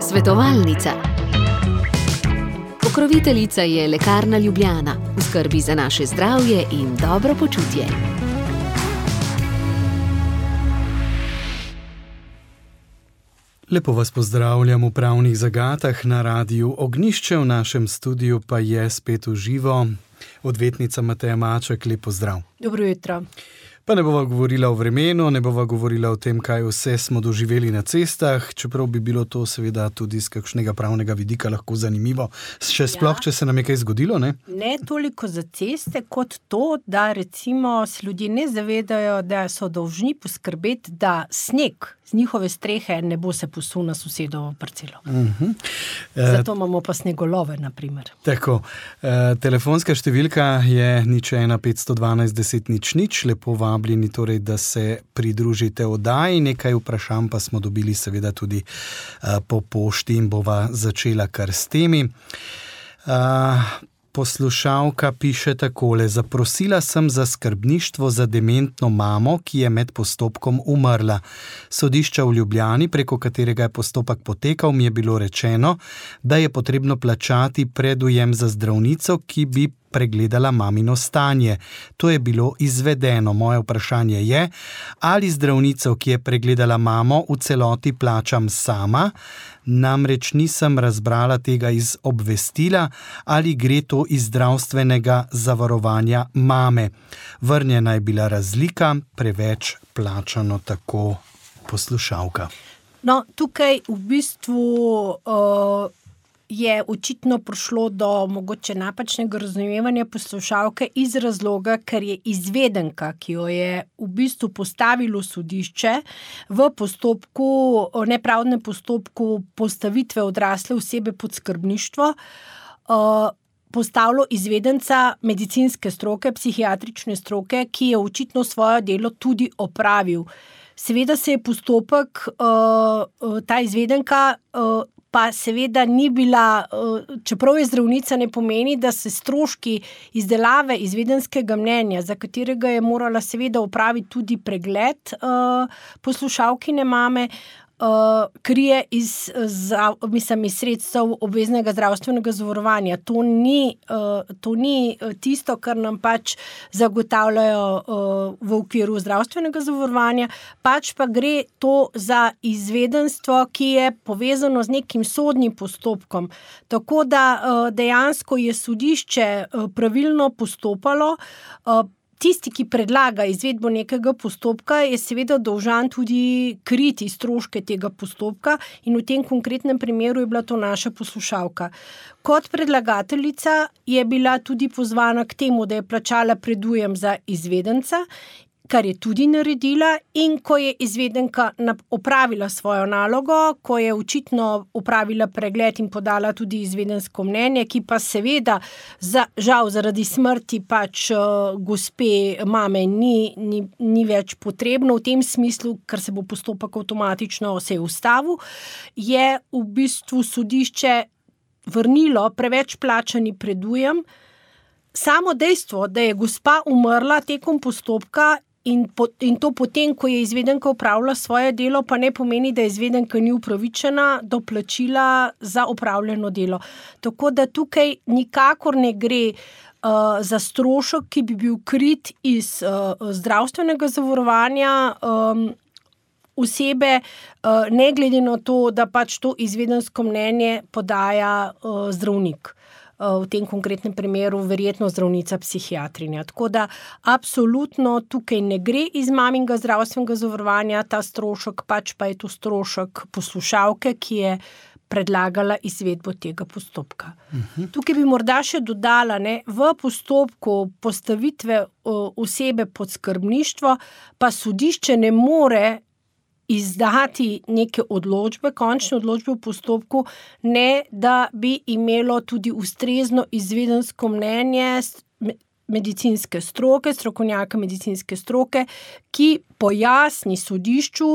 Svetovalnica. Pokroviteljica je Lekarna Ljubljana, v skrbi za naše zdravje in dobro počutje. Lepo vas pozdravljam v Pravnih zagatah na Radiu Ognjišče, v našem studiu pa je spet v živo odvetnica Mateja Maček. Lep pozdrav. Dobro jutro. Pa ne bova govorila o vremenu, ne bova govorila o tem, kaj vse smo doživeli na cestah, čeprav bi bilo to seveda tudi z kakšnega pravnega vidika lahko zanimivo. Še sploh, če se nam je kaj zgodilo, ne? Ne toliko za ceste, kot to, da recimo se ljudje ne zavedajo, da so dolžni poskrbeti, da sneg z njihove strehe ne bo se posul na sosedovo parcelo. Zato imamo pa snegolove, na primer. Tako, telefonska številka je 01 512 10 00. Lepo vabljeni torej, da se pridružite oddaji. Nekaj vprašanj pa smo dobili seveda tudi po pošti in bova začela kar s temi. Poslušalka piše takole: zaprosila sem za skrbništvo za dementno mamo, ki je med postopkom umrla. Sodišča v Ljubljani, preko katerega je postopek potekal, mi je bilo rečeno, da je potrebno plačati predujem za zdravnico, ki bi pregledala mamino stanje. To je bilo izvedeno. Moje vprašanje je, ali zdravnico, ki je pregledala mamo, v celoti plačam sama, namreč nisem razbrala tega iz obvestila, ali gre to iz zdravstvenega zavarovanja mame. Vrnjena je bila razlika, preveč plačano, tako poslušalka. No, tukaj v bistvu je očitno prišlo do mogoče napačnega razumevanja poslušalke iz razloga, ker je izvedenka, ki jo je v bistvu postavilo sodišče v postopku, nepravdnem postopku postavitve odrasle osebe pod skrbništvo, postavilo izvedenca medicinske stroke, psihiatrične stroke, ki je očitno svoje delo tudi opravil. Seveda se je postopek, ta izvedenka, pa seveda ni bila, čeprav je zdravnica, ne pomeni, da se stroški izdelave izvedenskega mnenja, za katerega je morala seveda opraviti tudi pregled poslušalkine mame, krije iz sredstev obveznega zdravstvenega zavarovanja. To ni tisto, kar nam pač zagotavljajo v okviru zdravstvenega zavarovanja, pač pa gre to za izvedenstvo, ki je povezano z nekim sodnim postopkom. Tako da dejansko je sodišče pravilno postopalo. Tisti, ki predlaga izvedbo nekega postopka, je seveda dolžan tudi kriti stroške tega postopka in v tem konkretnem primeru je bila to naša poslušalka. Kot predlagateljica je bila tudi pozvana k temu, da je plačala predujem za izvedenca, kar je tudi naredila, in ko je izvedenka opravila svojo nalogo, ko je očitno opravila pregled in podala tudi izvedensko mnenje, ki pa seveda žal zaradi smrti pač gospe mame ni več potrebno v tem smislu, ker se bo postopek avtomatično se ustavil, je v bistvu sodišče vrnilo preveč plačani predujem. Samo dejstvo, da je gospa umrla tekom postopka in to potem, ko je izvedenka opravila svoje delo, pa ne pomeni, da izvedenka ni upravičena do plačila za opravljeno delo. Tako da tukaj nikakor ne gre za strošek, ki bi bil krit iz zdravstvenega zavarovanja osebe, ne glede na to, da pač to izvedensko mnenje podaja zdravnik. V tem konkretnem primeru verjetno zdravnica psihiatrinja. Tako da absolutno tukaj ne gre iz maminega zdravstvenega zavarovanja ta strošek, pač pa je to strošek poslušalke, ki je predlagala izvedbo tega postopka. Tukaj bi morda še dodala, v postopku postavitve osebe pod skrbništvo pa sodišče ne more izdati neke odločbe, končne odločbe v postopku, ne da bi imelo tudi ustrezno izvedensko mnenje medicinske stroke, strokovnjaka medicinske stroke, ki pojasni sodišču,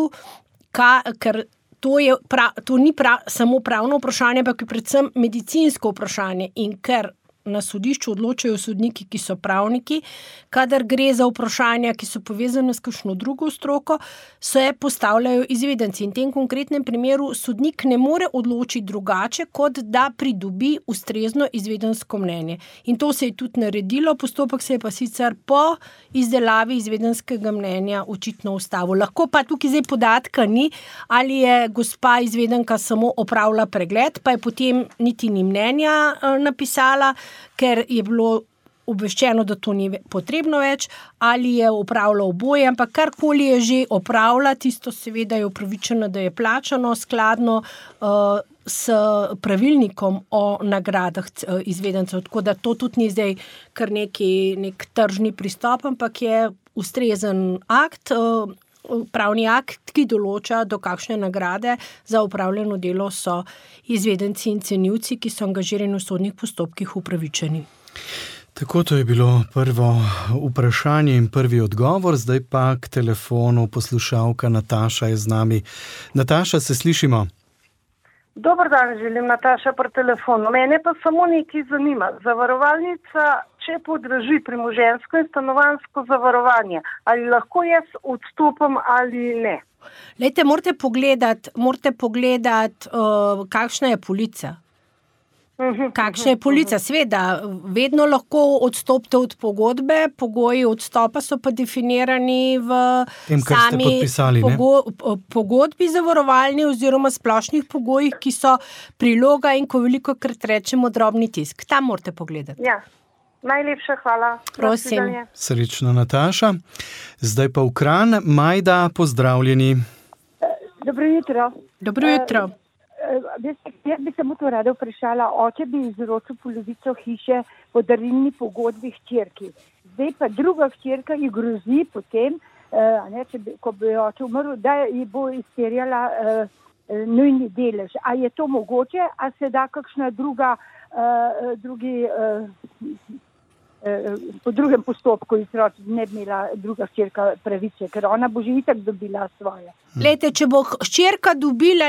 ker to ni samo pravno vprašanje, ampak je predvsem medicinsko vprašanje, in ker na sodišču odločajo sodniki, ki so pravniki, kadar gre za vprašanja, ki so povezane s kakšno drugo stroko, se postavljajo izvedenci. In v tem konkretnem primeru sodnik ne more odločiti drugače, kot da pridobi ustrezno izvedensko mnenje. In to se je tudi naredilo, postopek se je pa sicer po izdelavi izvedenskega mnenja očitno ustavil. Lahko pa tukaj zdaj podatka ni, ali je gospa izvedenka samo opravila pregled, pa je potem niti ni mnenja napisala, ker je bilo obveščeno, da to ni potrebno več, ali je opravila oboje, ampak karkoli je že opravila, tisto seveda je upravičeno, da je plačano skladno s pravilnikom o nagradah izvedencev. Tako da to tudi ni zdaj kar nek tržni pristop, ampak je ustrezen akt, pravni akt, ki določa, do kakšne nagrade za opravljeno delo so izvedenci in cenilci, ki so angažirani v sodnih postopkih, upravičeni. Tako, to je bilo prvo vprašanje in prvi odgovor, zdaj pa k telefonu poslušalka Nataša je z nami. Nataša, se slišimo? Dober dan, želim Nataša pri telefonu. Mene pa samo nekaj zanima. Zavarovalnica, če podraži premoženjsko in stanovanjsko zavarovanje, ali lahko jaz odstopam ali ne? Lejte, morate pogledati, kakšna je polica. Kakšna je polica? Sveda, vedno lahko odstopite od pogodbe, pogoji odstopa so pa definirani v sami pogodbi zavarovalni oziroma splošnih pogojih, ki so priloga in ko velikokrat rečemo drobni tisk. Tam morate pogledati. Ja, najlepša hvala. Prosim. Srečno, Nataša. Zdaj pa v Kranj. Majda, pozdravljeni. Dobro jutro. Dobro jutro. Jaz bi samo to rada vprašala, oče bi izročil polovico hiše po darilni pogodbi hčerki. Zdaj pa druga hčerka ji grozi potem, ko bi oče umrl, da ji bo izterjala nujni delež. A je to mogoče, a se da kakšna po drugem postopku izročiti, ne bi imela druga hčerka pravice, ker ona bo že itak dobila svoje. Glejte, če bo hčerka dobila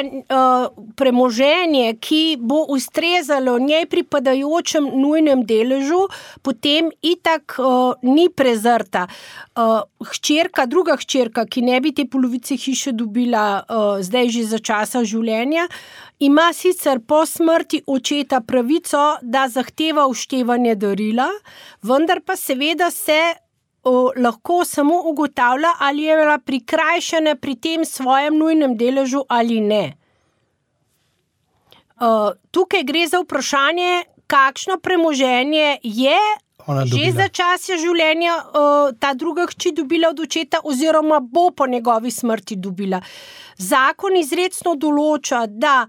premoženje, ki bo ustrezalo njej pripadajočem nujnem deležu, potem itak ni prezrta. Druga hčerka, ki ne bi te polovice hiše dobila zdaj že za časa življenja, ima sicer po smrti očeta pravico, da zahteva vštevanje darila, vendar pa seveda se lahko samo ugotavlja, ali je bila prikrajšana pri tem svojem nujnem deležu ali ne. Tukaj gre za vprašanje, kakšno premoženje je že za časa življenja ta druga hči dobila od očeta oziroma bo po njegovi smrti dobila. Zakon izrecno določa, da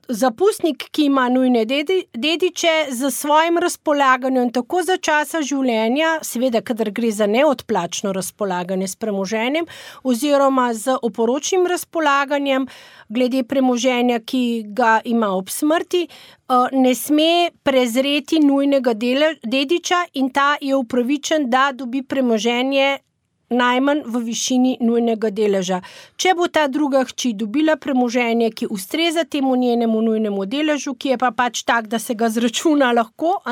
zapustnik, ki ima nujne dediče, za svojim razpolaganjem tako za časa življenja, seveda, kadar gre za neodplačno razpolaganje s premoženjem oziroma z oporočnim razpolaganjem glede premoženja, ki ga ima ob smrti, ne sme prezreti nujnega dediča in ta je upravičen, da dobi premoženje najmanj v višini nujnega deleža. Če bo ta druga hči dobila premoženje, ki ustreza temu njenemu nujnemu deležu, ki je pa pač tak, da se ga zračuna lahko,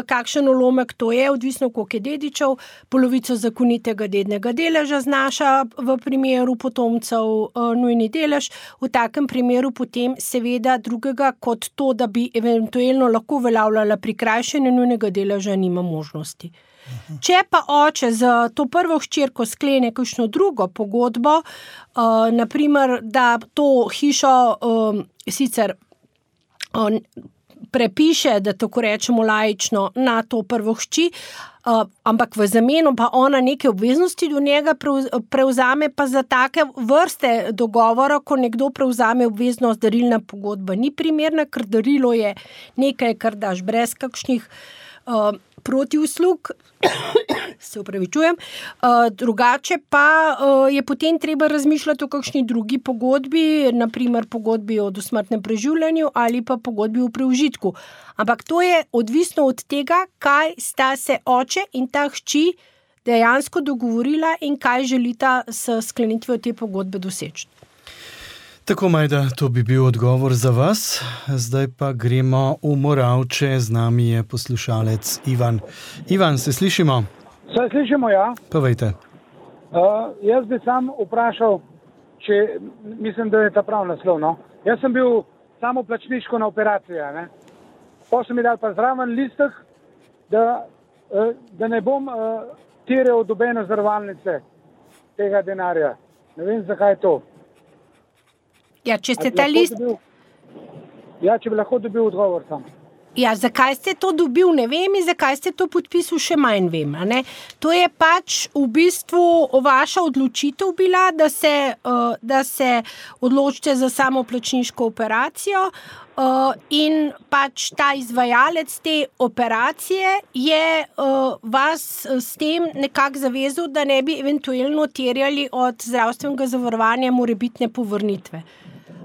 kakšen ulomek to je, odvisno koliko je dedičev, polovico zakonitega dednega deleža znaša v primeru potomcev nujni delež, v takem primeru potem seveda drugega kot to, da bi eventualno lahko uveljavljala prikrajšanje nujnega deleža, nima možnosti. Če pa oče za to prvo hčerko sklene kakšno drugo pogodbo, naprimer, da to hišo sicer prepiše, da tako rečemo laično, na to prvo hči, ampak v zameno pa ona neke obveznosti do njega prevzame, pa za take vrste dogovora, ko nekdo prevzame obveznost, darilna pogodba ni primerna, ker darilo je nekaj, kar daš brez kakšnih protiuslug, se opravičujem, drugače pa je potem treba razmišljati o kakšni drugi pogodbi, naprimer pogodbi o dosmrtnem preživljanju ali pa pogodbi o preužitku. Ampak to je odvisno od tega, kaj sta se oče in ta hči dejansko dogovorila in kaj želita s sklenitvijo te pogodbe doseči. Tako, Majda, to bi bil odgovor za vas. Zdaj pa gremo v Moravče. Z nami je poslušalec Ivan. Ivan, se slišimo? Se slišimo, ja. Povejte. Jaz bi sam vprašal, mislim, da je ta prav naslov, no. Jaz sem bil samoplačniško na operacija, ne. Pa so mi dali pa zraven listek, da ne bom terjal dobene zavarovalnice tega denarja. Ne vem, zakaj je to. Ja, če ste ta list... če bi lahko dobil odgovor sam. Ja, zakaj ste to dobil, ne vem, in zakaj ste to podpisal, še manj vem. A ne? To je pač v bistvu vaša odločitev bila, da se odločite za samoplačniško operacijo in pač ta izvajalec te operacije je vas s tem nekako zavezal, da ne bi eventualno terjali od zdravstvenega zavarovanja morebitne povrnitve.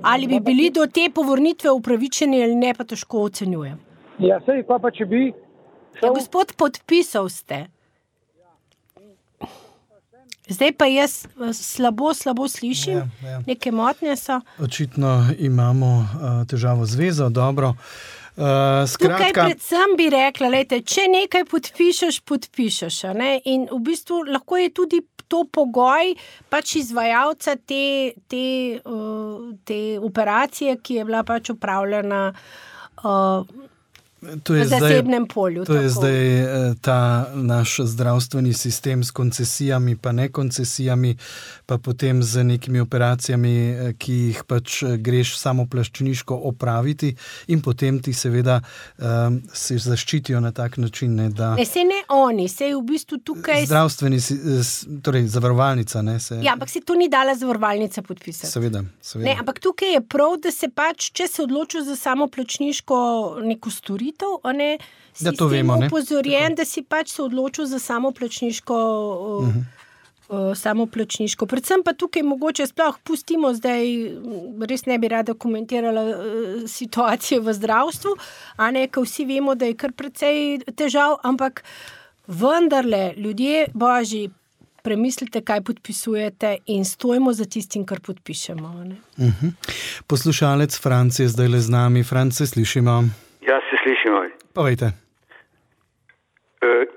Ali bi bili do te povrnitve upravičeni ali ne, pa težko ocenjujem. Ja, sej, pa če bi šel... Ja, gospod, podpisal ste. Zdaj pa jaz slabo slišim, ja. Neke motnje so. Očitno imamo težavo z vezo, dobro. Tukaj predvsem bi rekla, lejte, če nekaj podpišeš, ne? In v bistvu lahko je tudi to pogoj pač izvajalca te operacije, ki je bila pač upravljena v zasebnem polju. To je zdaj ta naš zdravstveni sistem s koncesijami, pa ne koncesijami, pa potem z nekimi operacijami, ki jih pač greš samoplačniško opraviti in potem ti seveda se zaščitijo na tak način, ne, da... Ne, se ne oni, se v bistvu tukaj... Zdravstveni, torej zavarovalnica, ne, se... Ja, ampak se to ni dala zavarovalnica podpisati. Seveda. Ne, ampak tukaj je prav, da se pač, če se odločiš za samoplačniško neko storitev, si s tem upozorjen, da si pač se odločil za samoplačniško samoplačniško. Predvsem pa tukaj mogoče sploh pustimo zdaj, res ne bi rada komentirala situacije v zdravstvu, a ne, ko vsi vemo, da je kar precej težav, ampak vendarle, ljudje božji, premislite, kaj podpisujete in stojimo za tistim, kar podpišemo. Ne? Poslušalec Franc je zdaj le z nami. Franc, se slišimo? Ja, se slišimo. Povejte.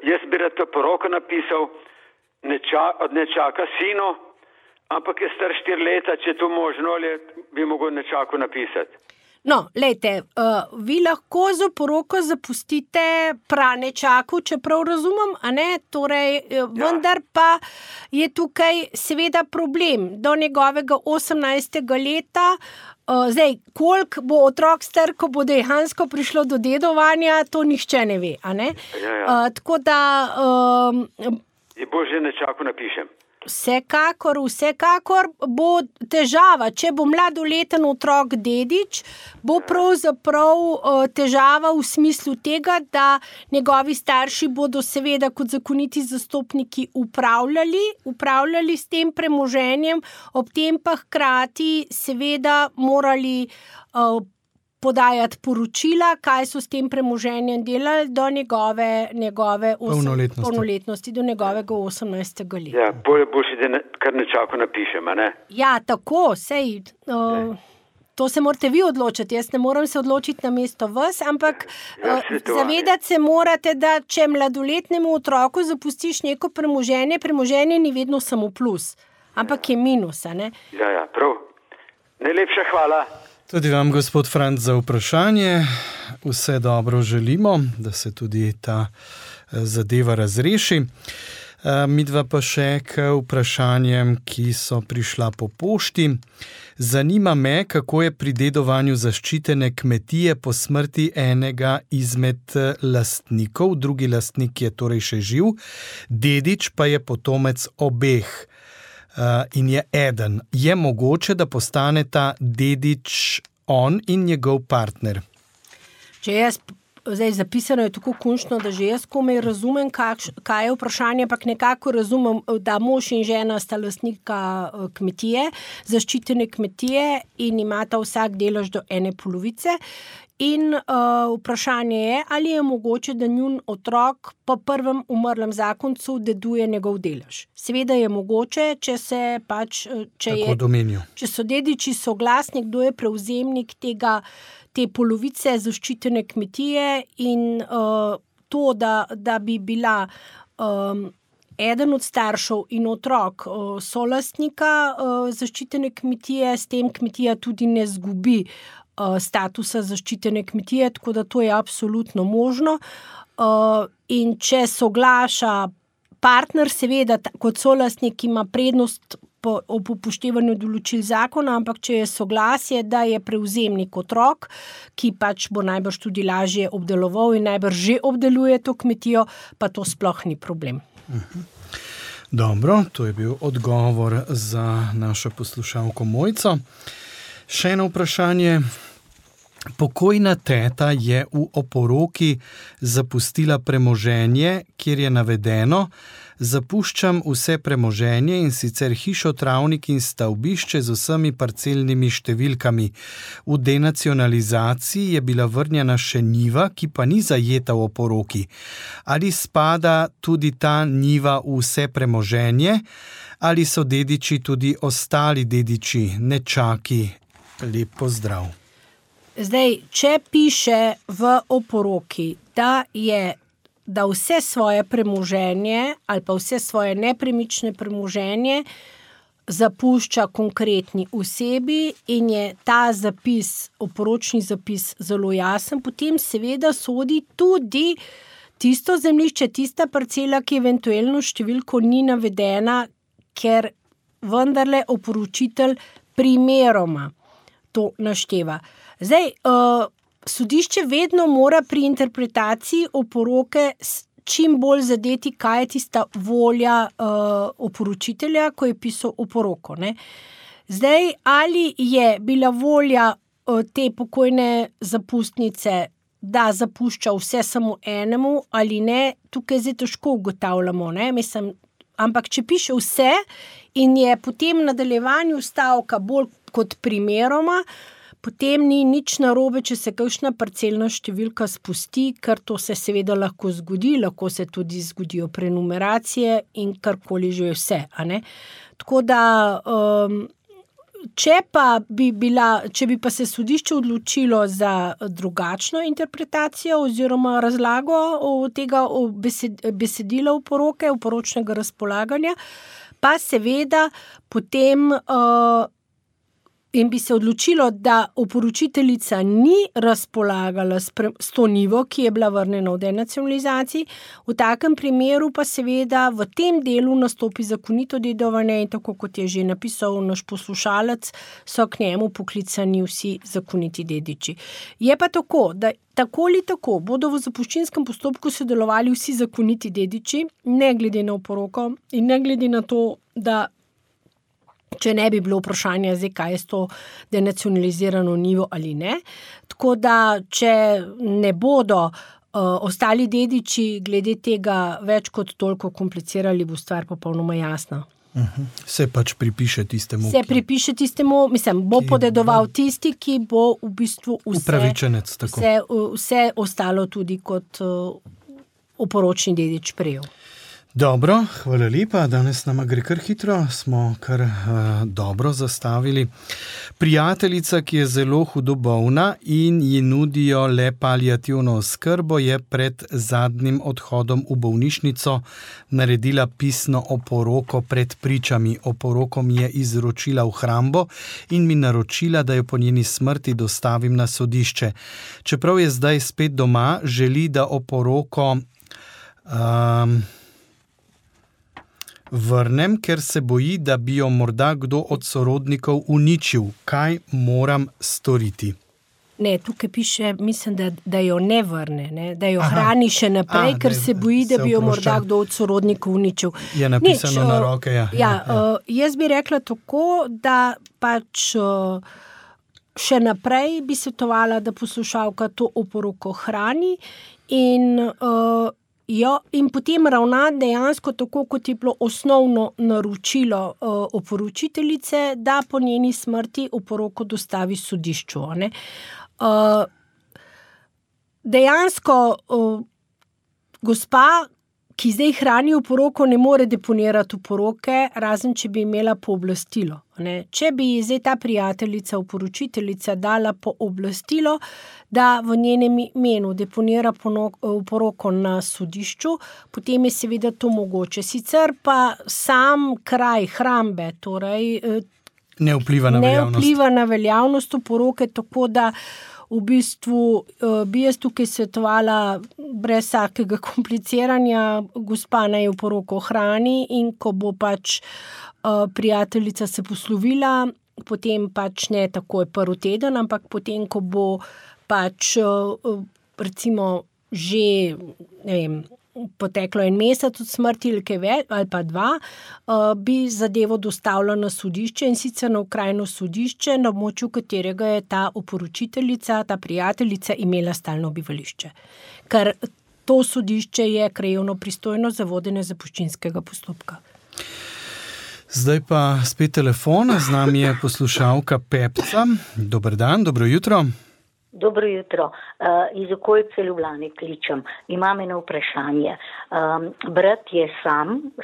Jaz bi rad to poroko napisal, ne čaka sino, ampak je star 4 leta, če je to možno, ali bi mogel nečaku napisati. No, lejte, vi lahko za poroko zapustite pranečaku, čeprav razumem, a ne, torej, vendar pa je tukaj seveda problem do njegovega 18. leta. Zdaj, koliko bo otrok star, ko bo dejansko prišlo do dedovanja, to nihče ne ve, a ne? Ja. Tako da... Je bolje nečaku napišem. Vsekakor bo težava, če bo mladoleten otrok dedič, bo pravzaprav težava v smislu tega, da njegovi starši bodo seveda kot zakoniti zastopniki upravljali s tem premoženjem, ob tem pa hkrati seveda morali podajati poročila, kaj so s tem premoženjem delali do njegove polnoletnosti, do njegovega 18. leta. Ja, boljše, da kar nečako napišem, a ne? Ja, tako, sej, to se morate vi odločiti, jaz ne moram se odločiti na mesto vas, ampak zavedati se morate, da če mladoletnemu otroku zapustiš neko premoženje ni vedno samo plus, ampak je minus, a ne? Ja, prav. Najlepša hvala. Tudi vam, gospod Franc, za vprašanje. Vse dobro želimo, da se tudi ta zadeva razreši. Midva pa še k vprašanjem, ki so prišla po pošti. Zanima me, kako je pri dedovanju zaščitene kmetije po smrti enega izmed lastnikov. Drugi lastnik je torej še živ, dedič pa je potomec obeh. In je eden. Je mogoče, da postane ta dedič on in njegov partner? Zdaj zapisano je tako končno, da že jaz komaj razumem, kaj je vprašanje, ampak nekako razumem, da mož in žena sta lastnika kmetije, zaščitene kmetije in imata vsak delež do ene polovice. in vprašanje je, ali je mogoče, da njun otrok po prvem umrlem zakoncu deduje njegov delež. Seveda je mogoče, če se pač, če so dediči soglasni, kdo je prevzemnik te polovice zaščitene kmetije in to, da bi bila eden od staršev in otrok solastnika zaščitene kmetije, s tem kmetija tudi ne zgubi statusa zaščitene kmetije, tako da to je absolutno možno. In če soglaša partner, seveda kot solastnik ima prednost ob upoštevanju določil zakona, ampak če je soglasje, da je prevzemnik otrok, ki pač bo najbrž tudi lažje obdeloval in najbrž že obdeluje to kmetijo, pa to sploh ni problem. Dobro, to je bil odgovor za našo poslušalko Mojco. Še eno vprašanje. Pokojna teta je v oporoki zapustila premoženje, kjer je navedeno: zapuščam vse premoženje, in sicer hišo, travnik in stavbišče z vsemi parcelnimi številkami. V denacionalizaciji je bila vrnjena še njiva, ki pa ni zajeta v oporoki. Ali spada tudi ta njiva v vse premoženje, ali so dediči tudi ostali dediči, nečaki? Lep pozdrav. Zdaj, če piše v oporoki, da vse svoje premoženje ali pa vse svoje nepremične premoženje zapušča konkretni osebi in je ta zapis, oporočni zapis zelo jasen, potem seveda sodi tudi tisto zemljišče, tista parcela, ki eventualno številko ni navedena, ker vendarle oporočitelj primeroma to našteva. Zdaj, sodišče vedno mora pri interpretaciji oporoke čim bolj zadeti, kaj je tista volja oporočitelja, ko je pisal oporoko, ne. Zdaj, ali je bila volja te pokojne zapustnice, da zapušča vse samo enemu ali ne, tukaj zdaj težko ugotavljamo, ne, mislim, ampak če piše vse in je potem v nadaljevanju stavka bolj kot primeroma, potem ni nič narobe, če se kakšna parcelna številka spusti, ker to se seveda lahko zgodi, lahko se tudi zgodijo prenumeracije in karkoli že je vse, a ne. Tako da, če bi pa se sodišče odločilo za drugačno interpretacijo oziroma razlago tega besedila oporoke, oporočnega razpolaganja, pa seveda potem in bi se odločilo, da oporočiteljica ni razpolagala s to njivo, ki je bila vrnjena v denacionalizaciji, v takem primeru pa seveda v tem delu nastopi zakonito dedovanje in tako kot je že napisal naš poslušalec, so k njemu poklicani vsi zakoniti dediči. Je pa tako, da tako ali tako bodo v zapuščinskem postopku sodelovali vsi zakoniti dediči, ne glede na oporoko in ne glede na to, da če ne bi bilo vprašanja, zdaj, kaj je s to denacionalizirano njivo ali ne. Tako da, če ne bodo ostali dediči glede tega več kot toliko komplicirali, bo stvar popolnoma jasna. Se pač pripiše tistemu, bo podedoval tisti, ki bo v bistvu upravičenec, vse ostalo tudi kot oporočni dedič prejel. Dobro, hvala lepa. Danes nama gre kar hitro, smo kar dobro zastavili. Prijateljica, ki je zelo hudo bolna in ji nudijo le paliativno oskrbo, je pred zadnjim odhodom v bolnišnico naredila pisno oporoko pred pričami. Oporoko mi je izročila v hrambo in mi naročila, da jo po njeni smrti dostavim na sodišče. Čeprav je zdaj spet doma, želi, da oporoko vrnem, ker se boji, da bi jo morda kdo od sorodnikov uničil. Kaj moram storiti? Ne, tukaj piše, mislim, da jo ne vrne, ne? Da jo hrani še naprej, ker se boji, da bi jo morda kdo od sorodnikov uničil. Je napisano na roke, Jaz bi rekla tako, da pač še naprej bi svetovala, da poslušalka to oporoko hrani in potem ravna dejansko tako, kot je bilo osnovno naročilo oporočiteljice, da po njeni smrti oporoko dostavi sodišču. dejansko gospa, ki zdaj hrani oporoko, ne more deponirati oporoke, razen če bi imela pooblastilo. Če bi zdaj ta prijateljica, oporočiteljica dala pooblastilo, da v njenem imenu deponira oporoko na sodišču, potem je seveda to mogoče. Sicer pa sam kraj hrambe, torej ne vpliva na veljavnost oporoke, tako da v bistvu bi jaz tukaj svetovala brez vsakega kompliciranja, gospa naj oporoko hrani in ko bo pač prijateljica se poslovila, potem pač ne takoj prvi teden, ampak potem, ko bo pač recimo že, ne vem, poteklo 1 mesec od smrti ali pa 2, bi zadevo dostavila na sodišče in sicer na okrajno sodišče, na območju katerega je ta oporočiteljica, ta prijateljica imela stalno bivališče. Ker to sodišče je krajevno pristojno za vodenje zapuščinskega postopka. Zdaj pa spet telefon, z nami je poslušalka Pepca. Dober dan, dobro jutro. Dobro jutro. Iz okolice Ljubljane kličem. Imam eno vprašanje. Brat je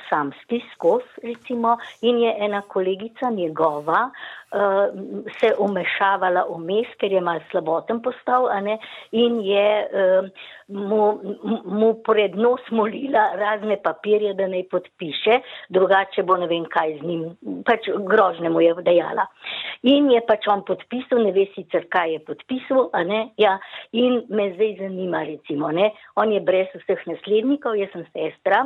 samski skozi, recimo, in je ena kolegica njegova se umešavala vmes, ker je malo slaboten postal, in je mu pred nos molila razne papirje, da naj podpiše, drugače bo ne vem kaj z njim, pač grožnje mu je dejala. In je pač on podpisal, ne ve sicer kaj je podpisal, ja, in me zdaj zanima, recimo, on je brez vseh naslednikov, jaz sem sestra,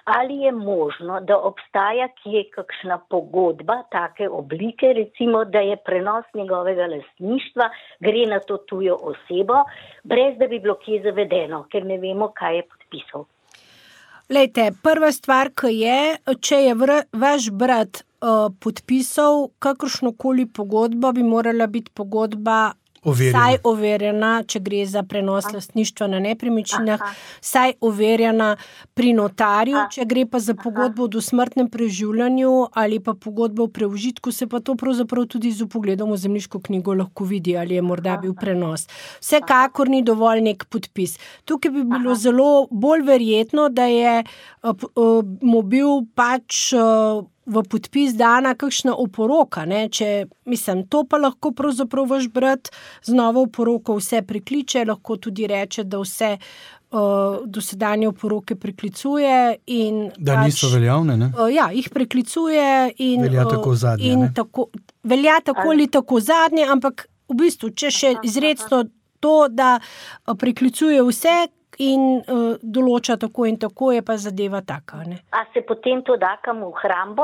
ali je možno, da obstaja kje kakšna pogodba take oblike, recimo, da je prenos njegovega lastništva, gre na to tujo osebo, brez da bi bilo kje zavedeno, ker ne vemo, kaj je podpisal. Lejte, prva stvar, ki je, če je vaš brat podpisal kakršnokoli pogodbo, bi morala biti pogodba vsaj overjena, če gre za prenos lastništva na nepremičninah, vsaj overjena pri notarju, če gre pa za pogodbo o dosmrtnem preživljanju ali pa pogodbo o preužitku, se pa to pravzaprav tudi z vpogledom v zemljiško knjigo lahko vidi, ali je morda bil prenos. Vsekakor ni dovolj nek podpis. Tukaj bi bilo zelo bolj verjetno, da je mu bil pač v podpis dana kakšna oporoka, to pa lahko pravzaprav vaš brat z novo oporoko vse prekliče, lahko tudi reče, da vse dosedanje oporoke preklicuje in da niso veljavne, ne? Ja, jih preklicuje in velja tako zadnje, velja tako ali tako zadnje, ampak v bistvu, če še izrecno to, da preklicuje vse in določa tako in tako, je pa zadeva taka. A se potem to da kam v hrambo?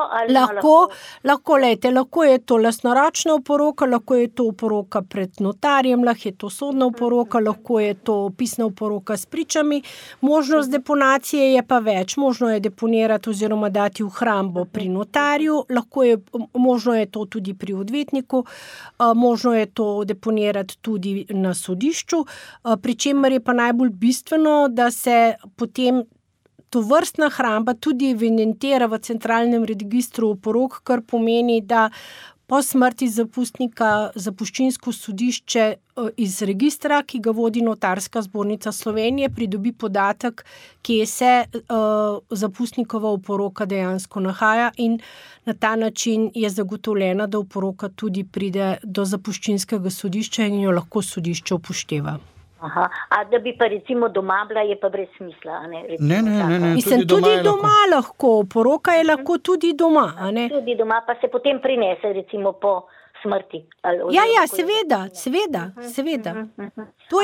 Lahko je to lastnoročna oporoka, lahko je to oporoka pred notarjem, lahko je to sodna oporoka, lahko je to pisna oporoka s pričami. Možnost deponacije je pa več. Možno je deponirati oziroma dati v hrambo pri notarju, možno je to tudi pri odvetniku, možno je to deponirati tudi na sodišču, pri čemer je pa najbolj bistveno, da se potem tovrstna hramba tudi evidentira v centralnem registru oporok, kar pomeni, da po smrti zapustnika zapuščinsko sodišče iz registra, ki ga vodi Notarska zbornica Slovenije, pridobi podatek, kje se zapustnikova oporoka dejansko nahaja in na ta način je zagotovljena, da oporoka tudi pride do zapuščinskega sodišča in jo lahko sodišče upošteva. A da bi pa recimo doma bila, je pa brez smisla, Ne, mislim, tudi doma lahko, oporoka je lahko tudi doma, Tudi doma, pa se potem prinese recimo po smrti. Ja, seveda. To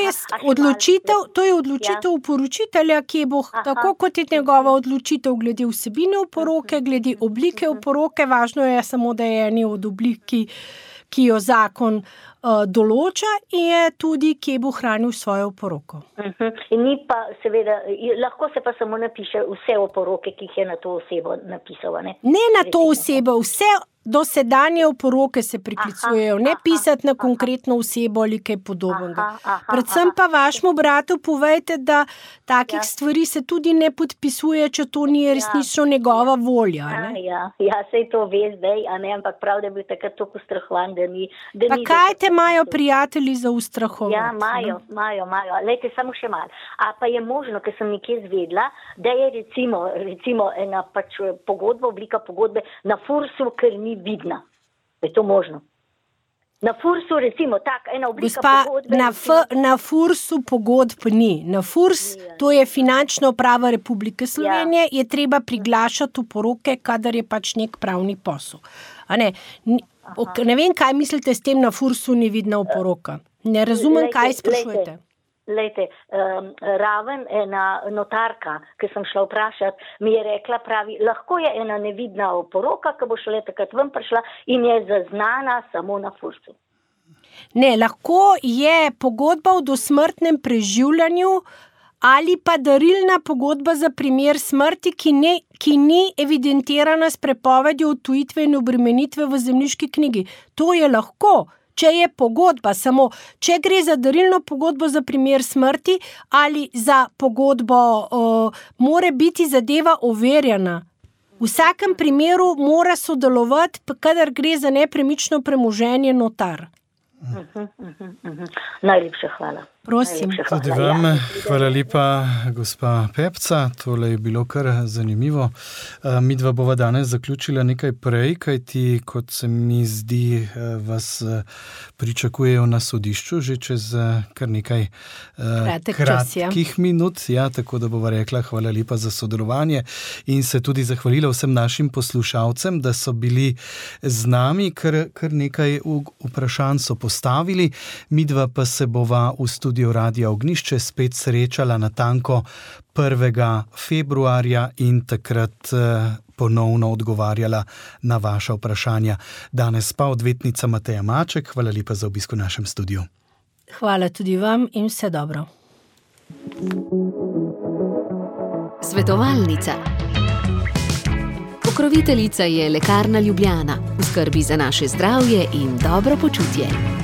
je odločitev oporočitelja, ki bo tako kot je njegova odločitev glede vsebine oporoke, glede oblike oporoke, važno je samo, da je eni od oblik, ki jo zakon določa in je tudi, kje bo hranil svojo oporoko. Ni pa seveda, lahko se pa samo napiše vse oporoke, ki jih je na to osebo napisal, Ne na to osebo, dosedanje oporoke se priklicujejo, ne pisati na konkretno osebo ali kaj podobnega. Predvsem pa vašemu bratu povejte, da takih stvari se tudi ne podpisuje, če to ni resnično njegova volja. Ne? Ja, sej to ve zdaj, a ne, ampak prav, da je bil takrat toliko ustrahovan, da ni... Pa kaj te imajo prijatelji za ustrahovati? Ja, imajo. Lejte, samo še malo. A pa je možno, ker sem nekje zvedla, da je recimo ena pač pogodba, oblika pogodbe na FURS-u, ker ni vidna. Je to možno? Na FURS-u recimo ena oblika pogodbe... Na FURS-u pogodb ni. Na FURS, to je Finančna uprava Republike Slovenije, je treba priglašati oporoke, kadar je pač nek pravni posel. A ne vem, kaj mislite s tem, na FURS-u ni vidna oporoka. Ne razumem, kaj sprašujete. Lejte, raven ena notarka, ki sem šla vprašati, mi je rekla, pravi, lahko je ena nevidna oporoka, ki bo šele takrat ven prišla in je zaznana samo na FURS-u. Ne, lahko je pogodba o dosmrtnem preživljanju ali pa darilna pogodba za primer smrti, ki ni evidentirana s prepovedjo odtujitve in obremenitve v zemljiški knjigi. To je lahko. Če je pogodba samo, če gre za darilno pogodbo za primer smrti ali za pogodbo, mora biti zadeva overjena. V vsakem primeru mora sodelovati, kadar gre za nepremično premoženje, notar. Najlepša hvala. Prosim. Tudi vam, hvala lepa, gospa Pepca, tole je bilo kar zanimivo. Midva bova danes zaključila nekaj prej, kajti, kot se mi zdi, vas pričakujejo na sodišču že čez kar nekaj kratkih minut. Ja, tako da bova rekla hvala lepa za sodelovanje in se tudi zahvalila vsem našim poslušalcem, da so bili z nami, kar nekaj vprašanj so postavili. Midva pa se bova v studiu Radia Ognjišče spet srečala natanko 1. februarja in takrat ponovno odgovarjala na vaša vprašanja. Danes pa odvetnica Mateja Maček. Hvala lepa za obisk v našem studiu. Hvala tudi vam in vse dobro. Svetovalnica. Pokroviteljica je Lekarna Ljubljana. V skrbi za naše zdravje in dobro počutje.